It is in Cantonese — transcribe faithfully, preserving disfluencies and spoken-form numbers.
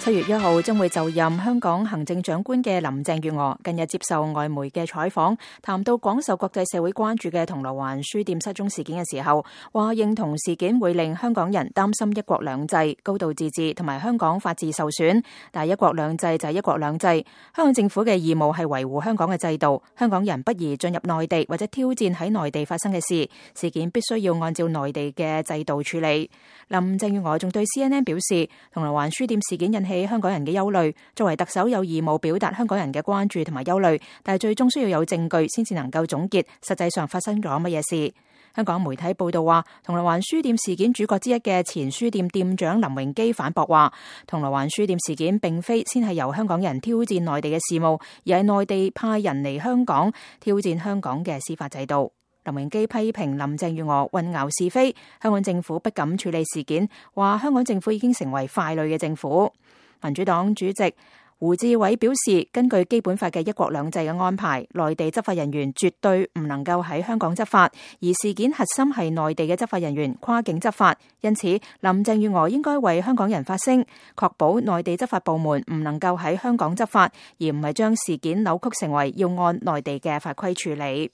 七月一號將會就任香港行政長官嘅林鄭月娥近日接受外媒嘅採訪，談到廣受國際社會關注嘅銅鑼灣書店失蹤事件嘅時候，話認同事件會令香港人擔心一國兩制、高度自治同埋香港法治受損，但係一國兩制就係一國兩制，香港政府嘅義務係維護香港嘅制度，香港人不宜進入內地或者挑戰喺內地發生嘅事，事件必須要按照內地嘅制度處理。林鄭月娥仲對 C N N 表示，銅鑼灣書店事件引起香港人嘅憂慮，作為特首有義務表達香港人嘅關注同埋憂慮，但係最終需要有證據先至能夠總結實際上發生咗乜嘢事。香港媒體報道話，銅鑼灣書店事件主角之一嘅前書店店長林榮基反駁話，銅鑼灣書店事件並非先係由香港人挑戰內地嘅事務，而係內地派人嚟香港挑戰香港嘅司法制度。林榮基批評林鄭月娥混淆是非，香港政府不敢處理事件，話香港政府已經成為傀儡嘅政府。民主黨主席胡志偉表示，根據基本法嘅一國兩制嘅安排，內地執法人員絕對唔能夠喺香港執法，而事件核心係內地嘅執法人員跨境執法，因此林鄭月娥應該為香港人發聲，確保內地執法部門唔能夠喺香港執法，而唔係將事件扭曲成為要按內地嘅法規處理。